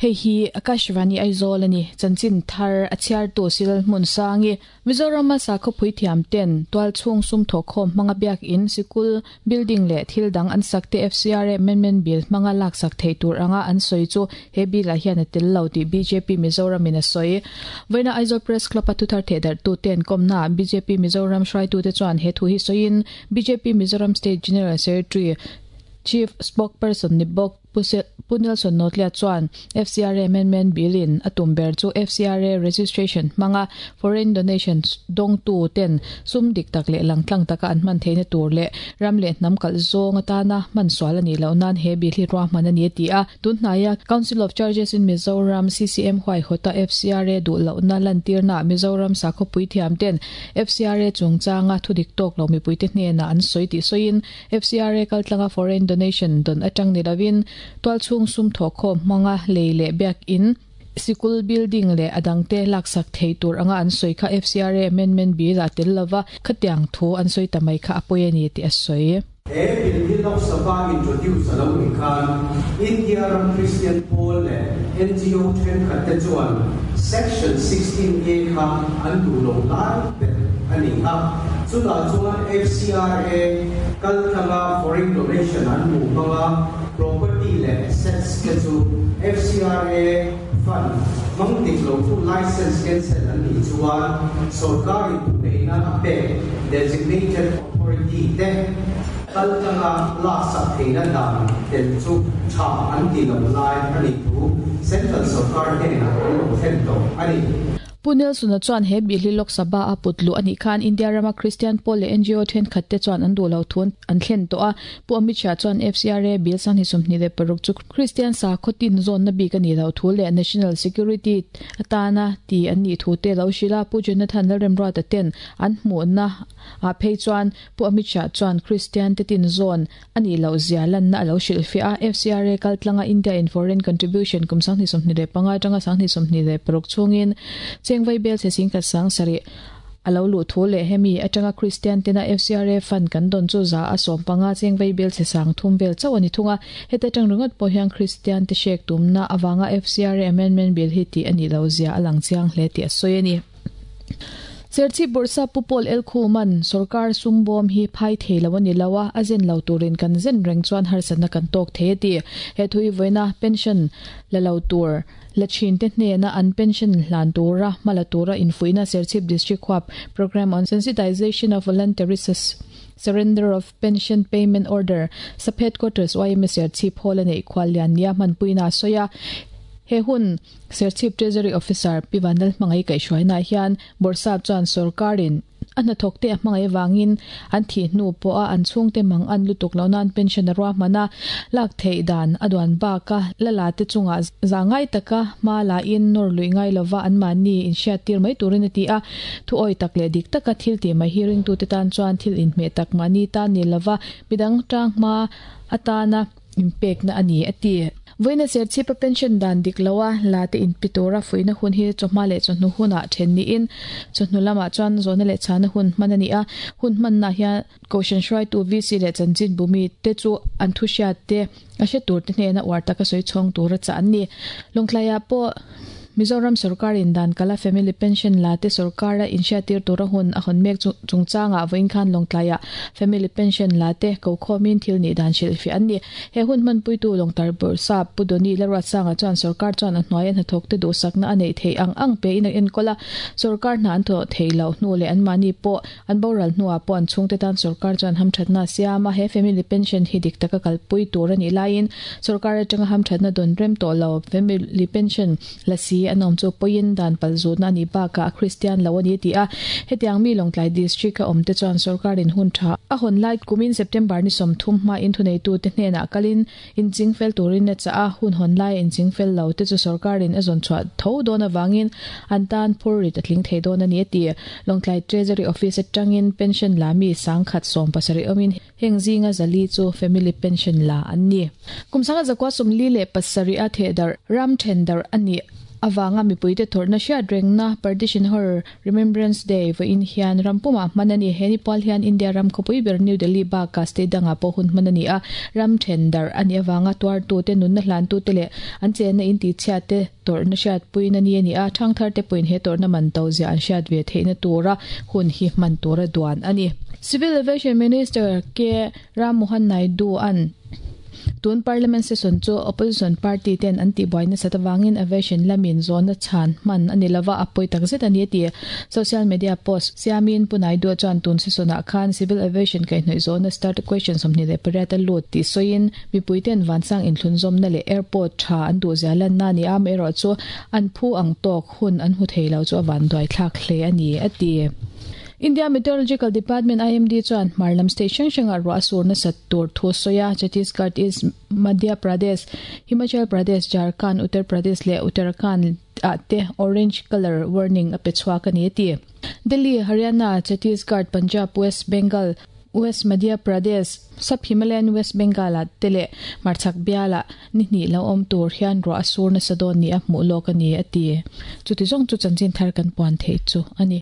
Hei hi Akashvani Aizawl a ni. Chanchin thar a chhiartu Silal Hmunsangi, Mizorama sakhaw puithiam ten tualchhung sum thawhkhawm hmanga biakin, sikul, building leh thil dang an sak te FCRA Amendment Bill hmanga laksak theih tur anga an sawi chu he bill ah hian a tel lo tih bjp Mizoram in a sawi. Vawiina Aizawl Press Club a thuthar thehdarhtu ten kawmna ah bjp Mizoram hruaitute chuan he thu hi sawiin bjp Mizoram State General Secretary Chief Spokesperson ni bawk Pu Nelson Notlia chuan FCRA Amendment Bill in a tum ber chu FCRA registration hmanga foreign donation dawngtu ten sum dik tak leh langtlang taka an hman theihna tur leh ram leh hnam kalh zawng atana hman sual a nih loh nan he bill hi ruahman a ni a ti a. Tun hnaia Council of Churches in Mizoram, CCM, huaihawta FCRA duh lohna lantirnaah Mizoram sakhaw puithiam ten FCRA chungchanga thudik tawk lo mipuite hnenah an sawi tih sawiin FCRA kaltlanga foreign donation dawn atang ni lovin tualchhung sum thawhkhawm hmanga lei leh biakin, sikul building leh a dangte laksak thei tur anga an sawi kha FCRA amendment bill ah tel lova khatiang thu an sawi ta mai kha a pawi a ni tih a sawi. He bill hi Lok Sabha introduce a lo nih khan India ram Christian pawl leh NGO thenkhat te chuan Section 16 A kha an duh lo lai ber a ni a. Chutah chuan FCRA kaltlanga foreign donation an hmuh hmanga property leh assets te chu FCRA fund hmang dik lo chu license cancel an nih chuan sorkarin thuneihna a pek designated authority te kaltlanga laksak theihna dan tel chu tha an ti lo lai a nih thu Central sorkar hnenah an lo thlen tawh a ni. Pu Nelson-a chuan he Bihli Lok Sabha a put luh a nih khan India rama Kristian pawl leh NGO thenkhat te chuan an duh lo thu an thlen tawh a. Pu Amit Shah chuan FCRA bill 2026 chu Kristian sakhaw tin zawnna bik a nih loh thu leh national security atana ti an nih thu te lo hrilh a. Pu Jonathan Lalremruata ten an hmuhna ah phei chuan Pu Amit Shah chuan Kristian te tin zawn A nih loh zia lanna a lo hrilhfiah a, FCRA kaltlanga India in foreign contribution kum 2025 atanga 2026 chhungin chengvai bel chhe singkhat sang sarih a lo luh thu leh hemi atanga Kristian tena FCRA fund kan dawn chu 115 chengvai bel chhe sang thum vel chauh a ni thung a, heta atang ringawt pawh hian Kristian te hrek tumna avanga FCRA amendment bill hi tih a nih loh zia a lang chiang hle tih a sawi a ni. Serchhip Bawrhsa Pu Paul Elkhuman, Sorkar sum bawm hi phai thei lo a ni lo a, a zen lo turin kan zen reng chuan harsatna kan tawk thei a ti. He thu hi vawiina pension la lo tur la thin te hnena an pension hlan tura hma la tura infuihna Serchhip District Huap Programme on Sensitization of Voluntary Surrender of Pension Payment Order, Sub Headquarters yma Serchhip Hall a neih khuallian nia hmanpuina a sawi a. He hun Serchhip Treasury Officer Pi Vanlal Hmangaih kaihhruainaah hian Bawrhsap chuan sorkarin a hnathawkte a hmangaih avangin an thih hnu pawha an chhungte mang an lutuk loh nan pension a ruahman a, lak theih dan a duan baka la la te chungah za ngai taka hma lain nawr luih ngai lova anmahni inhriattir mai turin a ti a. Thuawi tak leh dik taka thil tih mai hi ringtute tan chuan thil inhmeh tak mahni tan ni lova midang tang hma atana inpekna a ni, a ti. Vawiina Serchhipa pension dan dik loa la te inpi tura fuihna hun hi chawhma leh chawhnu hunah then niin chawhnu lamah chuan zawhna leh chhana hun hman a ni a. Hun hmannaah hian Kohhran hruaitu VC leh chanchinbu mite chu an thuhriat te a hre turte hnena uar taka sawi chhawng tura chah an ni. Lawngtlaiah pawh Mizoram sorkarin dan kala family pension la te sorkara inhriattir tura hun a hawn mek chungchangah vawiin khan Lawngtlaiah family pension la te kokhawmin thil nih dan hrilhfiah an ni. He hun hmanpuitu Lawngtar Bawrhsap Pu Doni Laruatsanga chuan sorkar chuan a hnuaia hnathawkte duhsakna a neih theih ang ang pein a enkawl a, sorkar hna an thawh theih loh hnu leh anmahni pawh an boral hnuah pawh an chhungte tan sorkar chuan hamthatna a siam a, he family pension hi dik taka kalpui tur a nih laiin sorkar atanga hamthatna dawn rem tawh lo family pension la si an awm chu pawiin dan pal zutna a nih bakah a Kristian lo a ni tih a, hetiang mi Lawngtlai District a awmte chuan sorkarin hun tha a hawn lai kumin September ni 30 hmain thuneitute hnenah kalin inching fel turin a chah a, hun hawn laia inching fel lo te chu sorkarin a zawn chhuah tho dawn avangin an tan phur rit a tling thei dawn a ni a ti. Lawngtlai Treasury Office atangin pension la mi 1070 awmin heng zinga zali chu family pension la an ni. Kum 1947 a thehdarh ram thendarh a nih. Avanga mipuite tawrhna hriat rengna Partition Horror Remembrance Day vawiin hian ram pumah hman a ni. He ni pual hian India ram khawpui ber New Delhi bakah state dangah pawh hun hman a ni a, ram then darh a nih avanga tuartute, nunna hlantute leh an chenna intihchhiatte tawrhna hriatpuina ni a ni a, thangtharte pawhin he tawrhna man to zia an hriat ve theihna tura hun hi hman tura duan a ni. Civil Aviation Minister K. Ram Mohan Naidu-a'n tun Parliament session chu Opposition party ten an tihbuai nasat avangin Aviation lamin zawhna chhan hman a ni lova, a pawi takzet a ni a ti. Social media post siamin Pu Naidu chuan tun session ah khan Civil Aviation kaihhnawih zawhna starred question 28 a lut tih sawiin mipui ten vansang inthlunzawmna leh airport tha an duhzia lanna a ni a, amaherawhchu an phu ang tawk hun an hmu thei lo chu a vanduaithlak hle a ni a ti. India Meteorological Department, IMD, chuan hmar lam state hrang hrangah ruah a sur nasat tur thu a sawi a, Chhattisgarh, East Madhya Pradesh, Himachal Pradesh, Jharkhand, Uttar Pradesh leh Uttarakhand ah te orange colour warning a pe chhuak a ni a ti. Delhi, Haryana, Chhattisgarh, Punjab, West Bengal, West Madhya Pradesh, Sub Himalayan West Bengal ah te leh hmarchhak bialah ni hnih lo awm tur hian ruah a sur nasa dawn ni a hmuh lawk a ni a ti. Chuti zawng chu chanchin thar kan puan theih chu a ni.